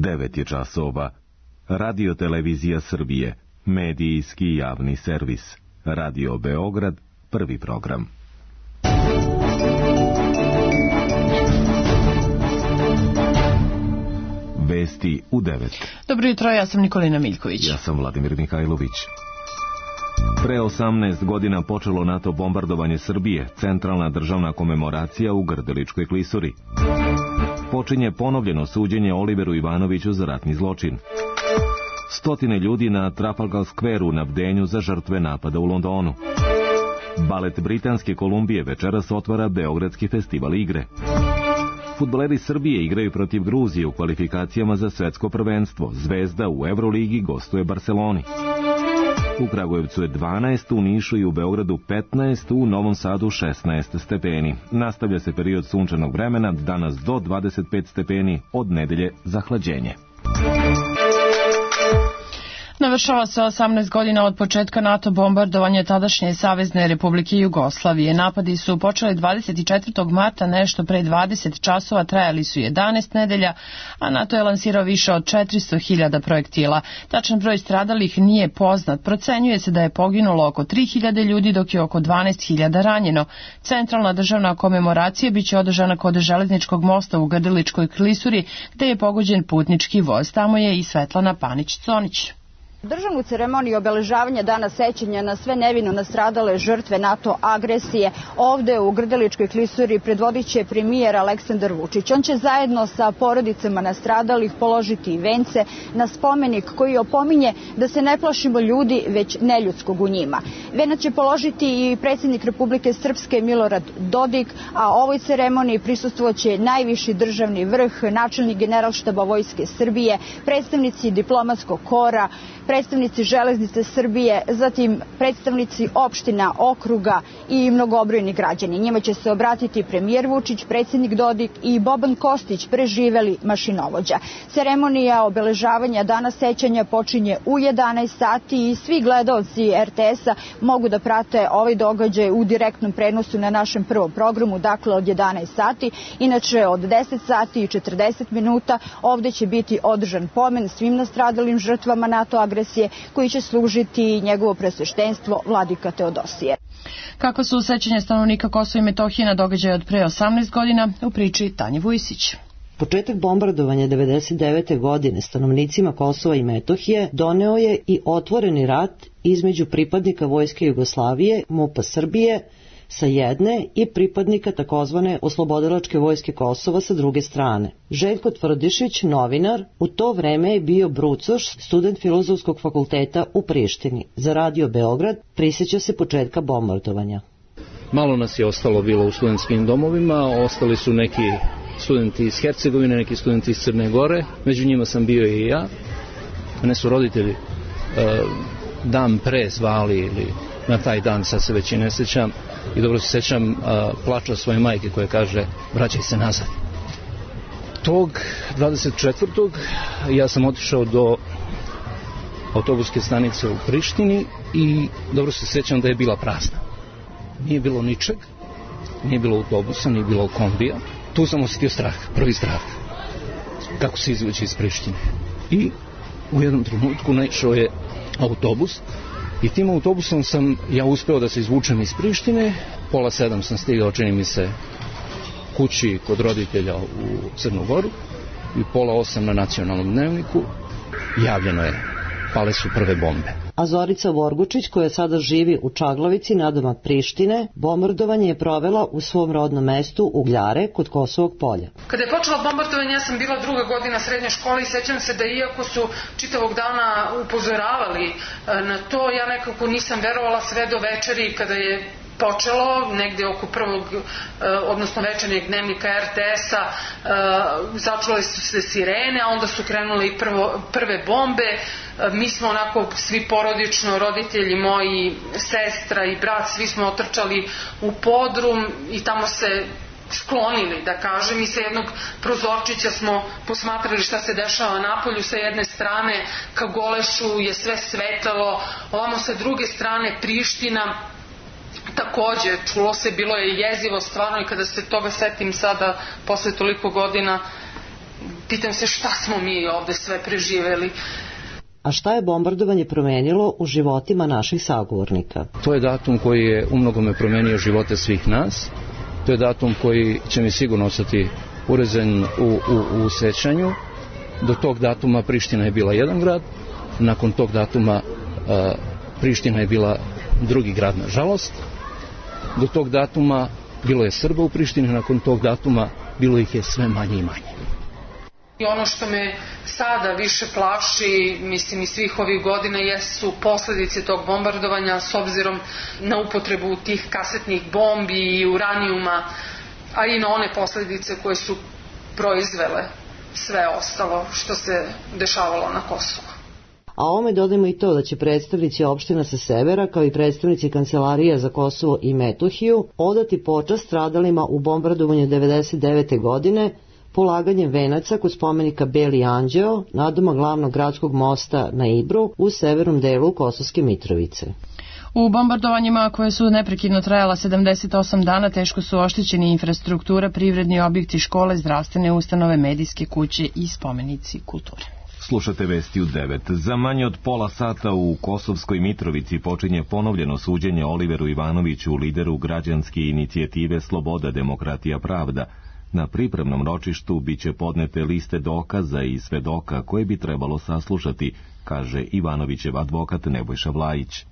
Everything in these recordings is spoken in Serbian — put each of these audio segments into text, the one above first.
9 je časova. Radio Televizija Srbije, medijski javni servis. Radio Beograd, prvi program. Vesti u 9. Dobro jutro, ja sam Nikolina Miljković. Ja sam Vladimir Mihajlović. Pre 18 godina počelo NATO bombardovanje Srbije, centralna državna komemoracija u Grdeličkoj klisuri. Počinje ponovljeno suđenje Oliveru Ivanoviću za ratni zločin. Stotine ljudi na Trafalgar Squareu na bdenju za žrtve napada u Londonu. Balet Britanske Kolumbije večeras otvara Beogradski festival igre. Fudbaleri Srbije igraju protiv Gruzije u kvalifikacijama za svetsko prvenstvo. Zvezda u Euroligi gostuje Barceloni. U Kragujevcu je 12, u Nišu i u Beogradu 15, u Novom Sadu 16 stepeni. Nastavlja se period sunčanog vremena, danas do 25 stepeni, od nedelje zahlađenje. Navršava se 18 godina od početka NATO bombardovanja tadašnje Savezne Republike Jugoslavije. Napadi su počeli 24. marta, nešto pre 20 časova, trajali su 11 nedelja, a NATO je lansirao više od 400.000 projektila. Tačan broj stradalih nije poznat. Procenjuje se da je poginulo oko 3.000 ljudi, dok je oko 12.000 ranjeno. Centralna državna komemoracija biće održana kod železničkog mosta u Grdeličkoj klisuri, gde je pogođen putnički voz. Tamo je i Svetlana Panić-Conić. Državnu ceremoniju obeležavanja Dana sećanja na sve nevino nastradale žrtve NATO agresije ovde u Grdeličkoj klisuri predvodit će premijer Aleksandar Vučić. On će zajedno sa porodicama nastradalih položiti vence na spomenik koji opominje da se ne plašimo ljudi, već neljudskog u njima. Venac će položiti i predsjednik Republike Srpske Milorad Dodik, a ovoj ceremoniji prisustvoće najviši državni vrh, načelnik Generalštaba Vojske Srbije, predstavnici diplomatskog kora, predstavnici Železnice Srbije, zatim predstavnici opština, okruga i mnogobrojni građani. Njima će se obratiti premijer Vučić, predsjednik Dodik i Boban Kostić, preživeli mašinovođa. Ceremonija obeležavanja Dana sećanja počinje u 11 sati i svi gledaoci RTS-a mogu da prate ovaj događaj u direktnom prenosu na našem prvom programu, dakle od 11 sati. Inače, od 10 sati i 40 minuta ovde će biti održan pomen svim nastradalim žrtvama NATO agresije, koji će služiti njegovo presveštenstvo Vladika Teodosije. Kako su sećanja stanovnika Kosova i Metohije na događaje od pre 18 godina, u priči Tanje Vujsić. Početak bombardovanja 1999. godine stanovnicima Kosova i Metohije doneo je i otvoreni rat između pripadnika Vojske Jugoslavije, MUP-a Srbije, sa jedne i pripadnika takozvane Oslobodilačke vojske Kosova sa druge strane. Željko Tvrdišić, novinar, u to vreme je bio brucoš, student Filozofskog fakulteta u Prištini. Za Radio Beograd prisjeća se početka bombardovanja. Malo nas je ostalo bilo u studentskim domovima, ostali su neki studenti iz Hercegovine, neki studenti iz Crne Gore, među njima sam bio i ja. Mene su roditelji dan pre zvali ili na taj dan, sad se već i ne sjećam, i dobro se sjećam plača svoje majke koja kaže vraćaj se nazad. Tog 24. ja sam otišao do autobuske stanice u Prištini i dobro se sjećam da je bila prazna. Nije bilo ničeg, nije bilo autobusa, nije bilo kombija. Tu sam osjetio strah, prvi strah. Kako se izvući iz Prištine. I u jednom trenutku naišao je autobus i tim autobusom sam ja uspeo da se izvučem iz Prištine. 6:30 sam stigao, čini mi se, kući kod roditelja u Crnu Goru i 7:30 na nacionalnom dnevniku javljeno je, pale su prve bombe. A Zorica Vorgučić, koja sada živi u Čaglavici, nadomak Prištine, bombardovanje je provela u svom rodnom mestu Ugljare kod Kosovog polja. Kada je počelo bombardovanje, ja sam bila 2. godina srednje škole i sećam se da iako su čitavog dana upozoravali na to, ja nekako nisam verovala sve do večeri kada je počelo, negde oko odnosno večernjeg dnevnika RTS-a, začule su se sirene, a onda su krenule i prve bombe. Mi smo onako svi porodično, roditelji moji, sestra i brat, svi smo otrčali u podrum i tamo se sklonili, da kažem, i sa jednog prozorčića smo posmatrali šta se dešava napolju. Sa jedne strane ka Golešu je sve svetalo, ovamo sa druge strane Priština. Takođe, čulo se, bilo je jezivo stvarno, i kada se toga setim sada, posle toliko godina, pitam se šta smo mi ovde sve preživeli. A šta je bombardovanje promenilo u životima naših sagovornika? To je datum koji je umnogome promenio živote svih nas. To je datum koji će mi sigurno ostati urezen u sećanju. Do tog datuma Priština je bila jedan grad, nakon tog datuma Priština je bila drugi grad, nažalost. Do tog datuma bilo je Srba u Prištini, nakon tog datuma bilo ih je sve manje i manje. I ono što me sada više plaši, mislim i svih ovih godina, jesu posledice tog bombardovanja s obzirom na upotrebu tih kasetnih bombi i uranijuma, a i na one posledice koje su proizvele sve ostalo što se dešavalo na Kosovu. A ovome dodajmo i to da će predstavnici opština sa severa, kao i predstavnici Kancelarija za Kosovo i Metohiju, odati počast stradalima u bombardovanju 1999. godine, polaganjem venaca kod spomenika Beli Anđeo, nadoma glavnog gradskog mosta na Ibru u severnom delu Kosovske Mitrovice. U bombardovanjima koje su neprekidno trajala 78 dana teško su oštećeni infrastruktura, privredni objekti, škole, zdravstvene ustanove, medijske kuće i spomenici kulture. Slušate vesti u 9. Za manje od pola sata u Kosovskoj Mitrovici počinje ponovljeno suđenje Oliveru Ivanoviću, lideru građanske inicijative Sloboda, demokratija, pravda. Na pripremnom ročištu biće podnete liste dokaza i svedoka koje bi trebalo saslušati, kaže Ivanovićev advokat Nebojša Vlajić.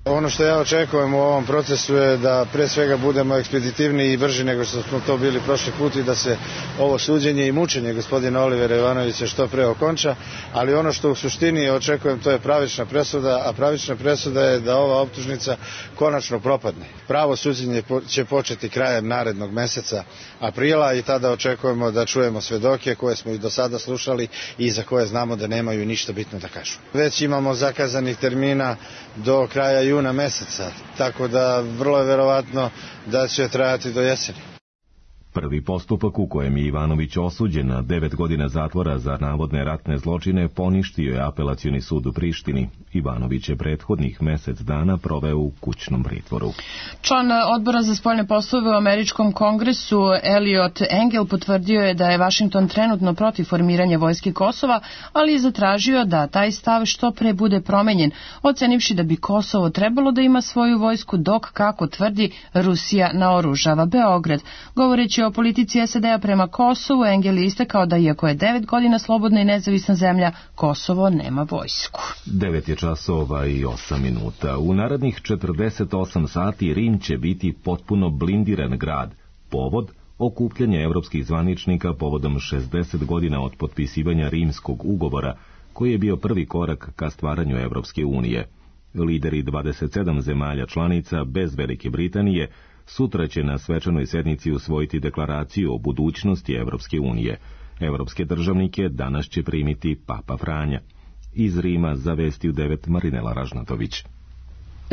Ono što ja očekujem u ovom procesu je da pre svega budemo ekspeditivniji i brži nego što smo to bili prošli put i da se ovo suđenje i mučenje gospodina Olivera Ivanovića što pre okonča, ali ono što u suštini očekujem to je pravična presuda, a pravična presuda je da ova optužnica konačno propadne. Pravo suđenje će početi krajem narednog meseca aprila i tada očekujemo da čujemo svedoke koje smo i do sada slušali i za koje znamo da nemaju ništa bitno da kažu. Već imamo zakazanih termina do kraja juna meseca, tako da vrlo je verovatno da će trajati do jeseni. Prvi postupak u kojem je Ivanović osuđen na 9 godina zatvora za navodne ratne zločine poništio je apelacioni sud u Prištini. Ivanović je prethodnih mesec dana proveo u kućnom pritvoru. Član odbora za spoljne poslove u Američkom kongresu Elliot Engel potvrdio je da je Vašington trenutno protiv formiranja vojske Kosova, ali je zatražio da taj stav što pre bude promenjen, ocenivši da bi Kosovo trebalo da ima svoju vojsku dok, kako tvrdi, Rusija naoružava Beograd. Govoreći o politici SAD-a prema Kosovu, Engel je istakao da iako je 9 godina slobodna i nezavisna zemlja, Kosovo nema vojsku. 9 je časova i 8 minuta. U narednih 48 sati Rim će biti potpuno blindiran grad. Povod? Okupljanje evropskih zvaničnika povodom 60 godina od potpisivanja Rimskog ugovora, koji je bio prvi korak ka stvaranju Evropske unije. Lideri 27 zemalja članica bez Velike Britanije sutra će na svečanoj sednici usvojiti deklaraciju o budućnosti Evropske unije. Evropske državnike danas će primiti Papa Franja. Iz Rima za vesti u 9 Marinela Ražnatović.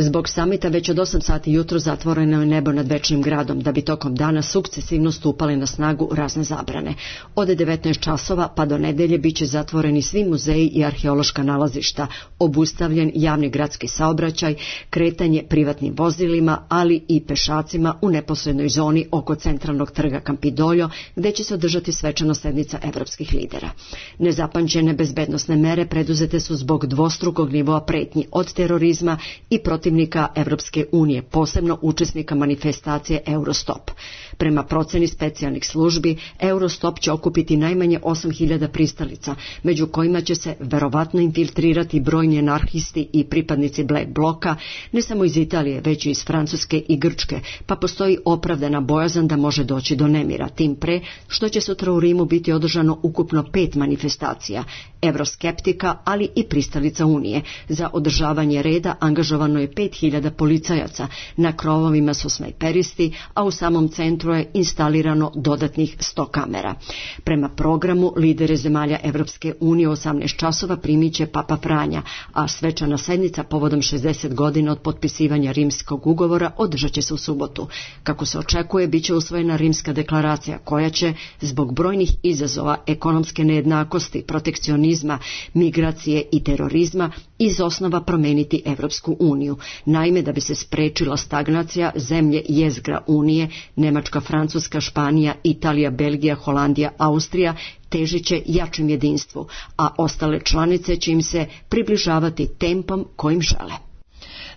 Zbog samita već od 8 sati jutro zatvoreno je nebo nad Večnim gradom, da bi tokom dana sukcesivno stupale na snagu razne zabrane. Od 19 časova pa do nedelje biće zatvoreni svi muzeji i arheološka nalazišta, obustavljen javni gradski saobraćaj, kretanje privatnim vozilima, ali i pešacima u neposrednoj zoni oko centralnog trga Kampidoljo, gde će se održati svečana sednica evropskih lidera. Nezapamćene bezbednosne mere preduzete su zbog dvostrukog nivoa pretnji od terorizma i protivnika Evropske unije, posebno učesnika manifestacije Eurostop. Prema proceni specijalnih službi, Eurostop će okupiti najmanje 8.000 pristalica, među kojima će se verovatno infiltrirati brojni anarhisti i pripadnici Black Bloka, ne samo iz Italije, već i iz Francuske i Grčke, pa postoji opravdana bojazan da može doći do nemira, tim pre što će sutra u Rimu biti održano ukupno 5 manifestacija, evroskeptika, ali i pristalica Unije. Za održavanje reda angažovano je 5.000 policajaca, na krovovima su snajperisti, a u samom centru je instalirano dodatnih 100 kamera. Prema programu, lidere zemalja Evropske unije u 18 časova primit će Papa Franja, a svečana sednica povodom 60 godina od potpisivanja Rimskog ugovora održat će se u subotu. Kako se očekuje, biće usvojena Rimska deklaracija, koja će, zbog brojnih izazova ekonomske nejednakosti, protekcionizma, migracije i terorizma, iz osnova promeniti Evropsku uniju. Naime, da bi se sprečila stagnacija, zemlje jezgra Unije, Nemačka, Francuska, Španija, Italija, Belgija, Holandija, Austrija težit će jačem jedinstvu, a ostale članice će im se približavati tempom kojim žele.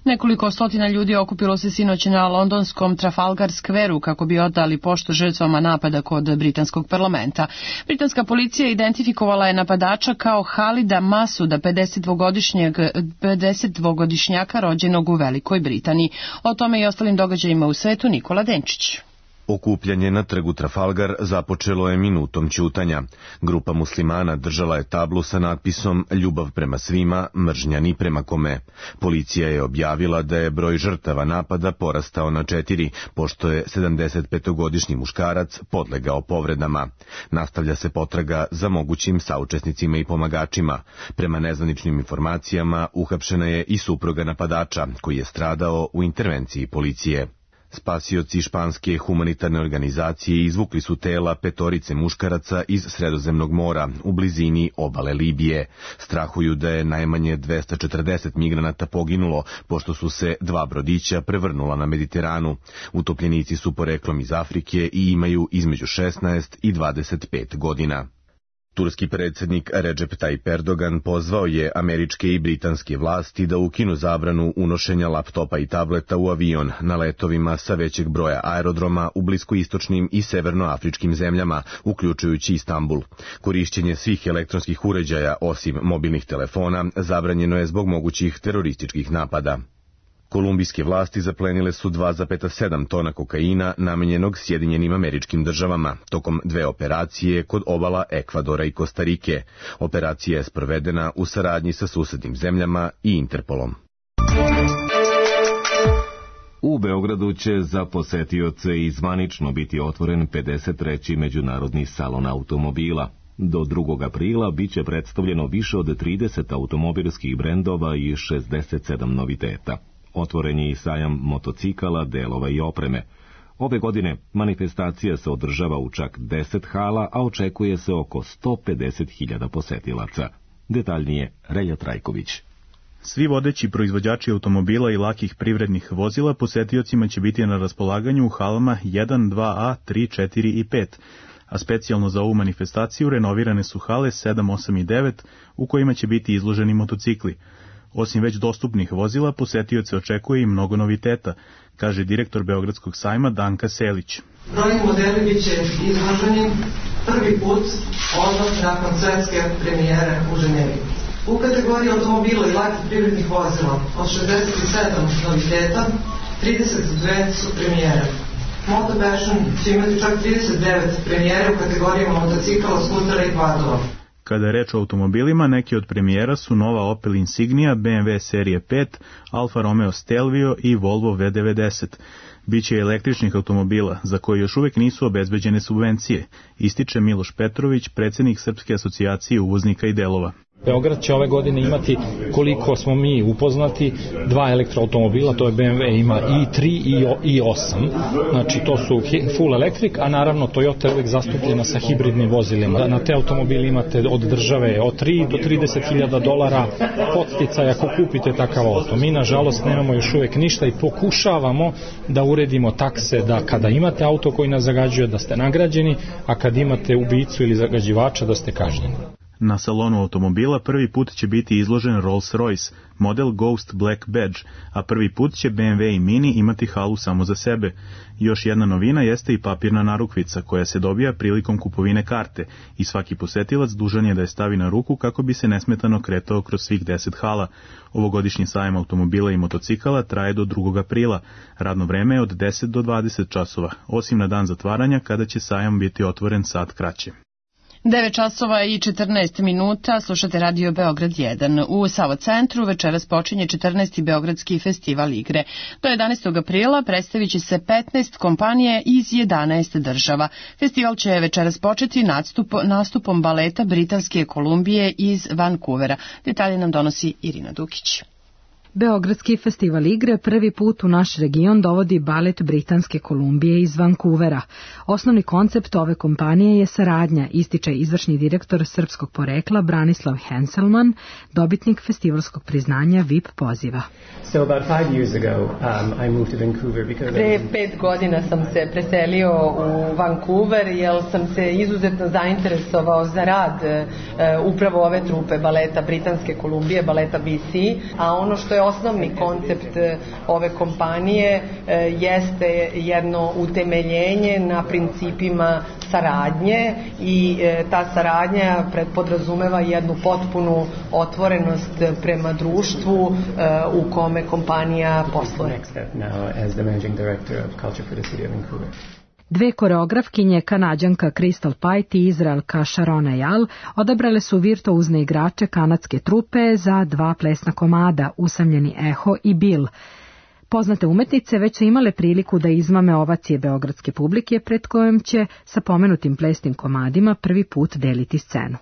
Nekoliko stotina ljudi okupilo se sinoć na londonskom Trafalgar Squareu kako bi odali poštu žrtvama napada kod britanskog parlamenta. Britanska policija identifikovala je napadača kao Halida Masuda, 52-godišnjaka rođenog u Velikoj Britaniji. O tome i ostalim događajima u svetu Nikola Denčić. Okupljanje na trgu Trafalgar započelo je minutom ćutanja. Grupa muslimana držala je tablu sa natpisom "Ljubav prema svima, mržnja ni prema kome". Policija je objavila da je broj žrtava napada porastao na 4, pošto je 75-godišnji muškarac podlegao povredama. Nastavlja se potraga za mogućim saučesnicima i pomagačima. Prema nezvaničnim informacijama, uhapšena je i supruga napadača, koji je stradao u intervenciji policije. Spasioci španske humanitarne organizacije izvukli su tela 5 muškaraca iz Sredozemnog mora u blizini obale Libije. Strahuju da je najmanje 240 migranata poginulo, pošto su se 2 brodića prevrnula na Mediteranu. Utopljenici su poreklom iz Afrike i imaju između 16 i 25 godina. Turski predsjednik Recep Tayyip Erdogan pozvao je američke i britanske vlasti da ukinu zabranu unošenja laptopa i tableta u avion na letovima sa većeg broja aerodroma u bliskoistočnim i severnoafričkim zemljama, uključujući Istanbul. Korišćenje svih elektronskih uređaja, osim mobilnih telefona, zabranjeno je zbog mogućih terorističkih napada. Kolumbijske vlasti zaplenile su 2,7 tona kokaina namenjenog Sjedinjenim Američkim Državama tokom 2 operacije kod obala Ekvadora i Kostarike. Operacija je sprovedena u saradnji sa susednim zemljama i Interpolom. U Beogradu će za posetioce i zvanično biti otvoren 53. međunarodni salon automobila. Do 2. aprila biće predstavljeno više od 30 automobilskih brendova i 67 noviteta. Otvoren je i sajam motocikala, delova i opreme. Ove godine manifestacija se održava u čak 10 hala, a očekuje se oko 150.000 posetilaca. Detaljnije Relja Trajković. Svi vodeći proizvođači automobila i lakih privrednih vozila posetiocima će biti na raspolaganju u halama 1, 2A, 3, 4 i 5, a specijalno za ovu manifestaciju renovirane su hale 7, 8 i 9 u kojima će biti izloženi motocikli. Osim već dostupnih vozila, posetioce očekuje i mnogo noviteta, kaže direktor Beogradskog sajma Danka Selić. Brojni modeli bit će izloženi prvi put odmah nakon svetske premijere u Ženevi. U kategoriji automobila i lakih privrednih vozila od 67 noviteta, 32 su premijere. Moto Passion će imati čak 39 premijere u kategorijama motocikala, skutera i kvadova. Kada je reč o automobilima, neki od premijera su nova Opel Insignia, BMW serije 5, Alfa Romeo Stelvio i Volvo V90. Biće i električnih automobila, za koje još uvijek nisu obezbeđene subvencije, ističe Miloš Petrović, predsjednik Srpske asocijacije uvoznika i delova. Beograd će ove godine imati, koliko smo mi upoznati, 2 elektroautomobila, to je BMW, ima i3 i 8, znači to su full electric, a naravno Toyota je uvijek zastupljena sa hibridnim vozilima. Na te automobili imate od države od 3 do 30.000 dolara podsticaja ako kupite takav auto. Mi nažalost nemamo još uvijek ništa i pokušavamo da uredimo takse da kada imate auto koji nas zagađuje da ste nagrađeni, a kad imate ubicu ili zagađivača da ste kažnjeni. Na salonu automobila prvi put će biti izložen Rolls-Royce, model Ghost Black Badge, a prvi put će BMW i Mini imati halu samo za sebe. Još jedna novina jeste i papirna narukvica koja se dobija prilikom kupovine karte i svaki posetilac dužan je da je stavi na ruku kako bi se nesmetano kretao kroz svih 10 hala. Ovogodišnji sajam automobila i motocikala traje do 2. aprila. Radno vreme je od 10 do 20 časova, osim na dan zatvaranja kada će sajam biti otvoren sat kraće. 9 časova i 14 minuta, slušate Radio Beograd 1. U Savo centru večeras počinje 14. Beogradski festival igre. Do 11. aprila predstavit će se 15 kompanije iz 11 država. Festival će večeras početi nastupom baleta Britanske Kolumbije iz Vancouvera. Detalje nam donosi Irina Dukić. Beogradski festival igre prvi put u naš region dovodi balet Britanske Kolumbije iz Vancouvera. Osnovni koncept ove kompanije je saradnja, ističe izvršni direktor srpskog porekla Branislav Henselman, dobitnik festivalskog priznanja VIP poziva. Pre 5 godina sam se preselio u Vancouver jer sam se izuzetno zainteresovao za rad upravo ove trupe baleta Britanske Kolumbije, baleta BC, a ono što je osnovni koncept ove kompanije jeste jedno utemeljenje na principima saradnje i ta saradnja podrazumeva jednu potpunu otvorenost prema društvu u kome kompanija posluje. Dve koreografkinje, Kanađanka Crystal Pite i Izraelka Sharona Eyal, odabrale su virtuozne igrače kanadske trupe za dva plesna komada, Usamljeni eho i Bill. Poznate umetnice već su imale priliku da izmame ovacije beogradske publike, pred kojom će sa pomenutim plesnim komadima prvi put deliti scenu.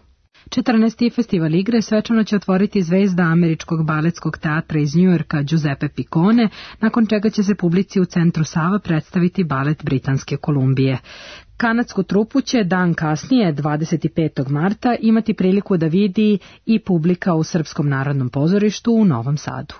14. festival igre svečano će otvoriti zvezda američkog baletskog teatra iz Njujorka Giuseppe Piccone, nakon čega će se publici u centru Sava predstaviti balet Britanske Kolumbije. Kanadsku trupu će dan kasnije, 25. marta, imati priliku da vidi i publika u Srpskom narodnom pozorištu u Novom Sadu.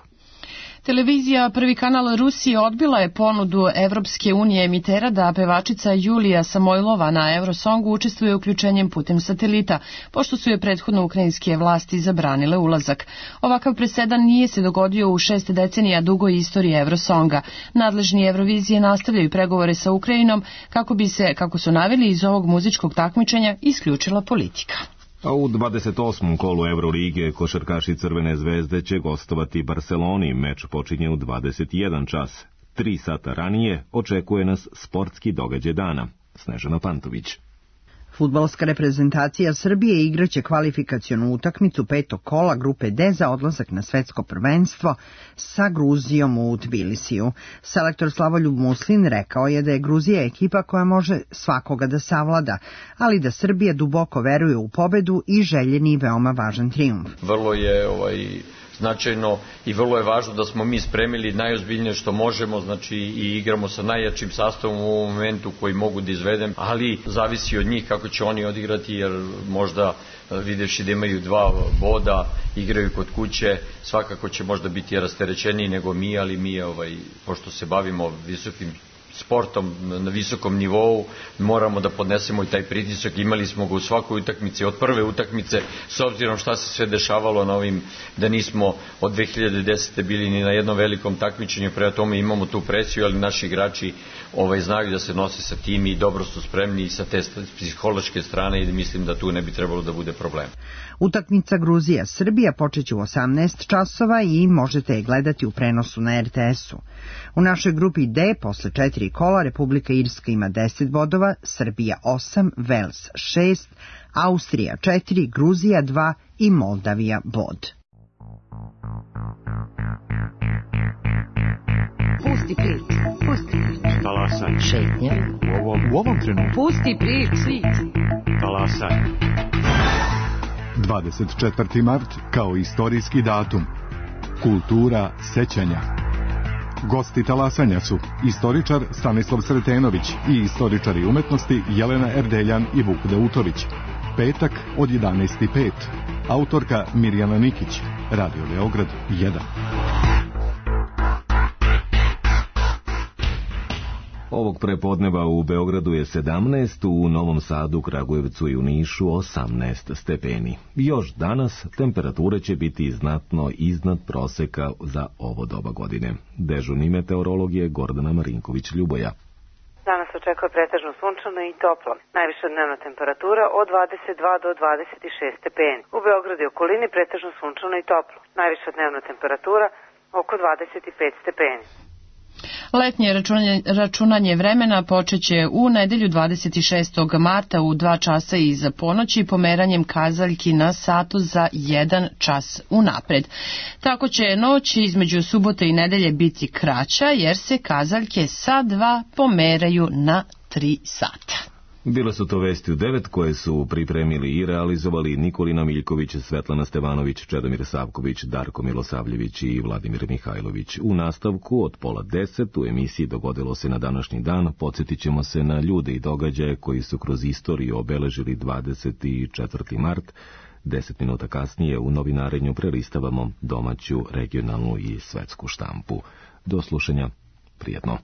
Televizija Prvi kanal Rusije odbila je ponudu Evropske unije emitera da pevačica Julija Samojlova na Eurosongu učestvuje uključenjem putem satelita, pošto su je prethodno ukrajinske vlasti zabranile ulazak. Ovakav presedan nije se dogodio u 6 decenija dugoj istoriji Eurosonga. Nadležni Eurovizije nastavljaju pregovore sa Ukrajinom kako bi se, kako su naveli, iz ovog muzičkog takmičenja isključila politika. A u 28. kolu Eurolige košarkaši Crvene zvezde će gostovati Barceloni. Meč počinje u 21 čas. 3 sata ranije očekuje nas sportski događaj dana. Snežana Pantović. Fudbalska reprezentacija Srbije igraće kvalifikacionu utakmicu 5. kola grupe D za odlazak na svetsko prvenstvo sa Gruzijom u Tbilisiju. Selektor Slavoljub Muslin rekao je da je Gruzija ekipa koja može svakoga da savlada, ali da Srbija duboko veruje u pobedu i željeni veoma važan trijumf. Vrlo je značajno i vrlo je važno da smo mi spremili najozbiljnije što možemo, znači i igramo sa najjačim sastavom u ovom momentu koji mogu da izvedem, ali zavisi od njih kako će oni odigrati, jer možda videvši da imaju 2 boda, igraju kod kuće, svakako će možda biti rasterećeniji nego mi, ali mi pošto se bavimo visokim sportom na visokom nivou, moramo da podnesemo i taj pritisak. Imali smo ga u svakoj utakmici, od prve utakmice, s obzirom šta se sve dešavalo na ovim, da nismo od 2010. bili ni na jednom velikom takmičenju, prema tome imamo tu presiju, ali naši igrači znaju da se nose sa tim i dobro su spremni i sa te psihološke strane i mislim da tu ne bi trebalo da bude problem. Utakmica Gruzija-Srbija počeće u 18 časova i možete je gledati u prenosu na RTS-u. U našoj grupi D, posle 4 kola, Republika Irska ima 10 bodova, Srbija 8, Vels 6, Austrija 4, Gruzija 2 i Moldavija bod. Pusti prič, pusti prič. Talasaj. Šetnja. U ovom trenutku. Pusti prič. Talasaj. 24. mart kao istorijski datum. Kultura sećanja. Gosti talasanja su istoričar Stanislav Sretenović i istoričari umetnosti Jelena Erdeljan i Vuk Dautović. Petak od 11:05. Autorka Mirjana Nikić. Radio Beograd 1. Ovog prepodneva u Beogradu je 17, u Novom Sadu, Kragujevcu i u Nišu 18 stepeni. Još danas temperature će biti znatno iznad proseka za ovo doba godine. Dežurni meteorolog je Gordana Marinković-Ljuboja. Danas očekuje pretežno sunčano i toplo. Najviša dnevna temperatura od 22 do 26 stepeni. U Beogradu i okolini pretežno sunčano i toplo. Najviša dnevna temperatura oko 25 stepeni. Letnje računanje vremena počeće u nedelju 26. marta u 2 časa iza ponoći pomeranjem kazaljki na satu za 1 čas unapred. Tako će noć između subote i nedelje biti kraća jer se kazaljke sa 2 pomeraju na 3 sata. Bile su to vesti u 9 koje su pripremili i realizovali Nikolina Miljković, Svetlana Stevanović, Čedomir Savković, Darko Milosavljević i Vladimir Mihajlović. U nastavku od 9:30 u emisiji Dogodilo se na današnji dan podsjetit ćemo se na ljude i događaje koji su kroz istoriju obeležili 24. mart. 10 minuta kasnije u novinarenju prelistavamo domaću, regionalnu i svetsku štampu. Do slušanja, prijetno.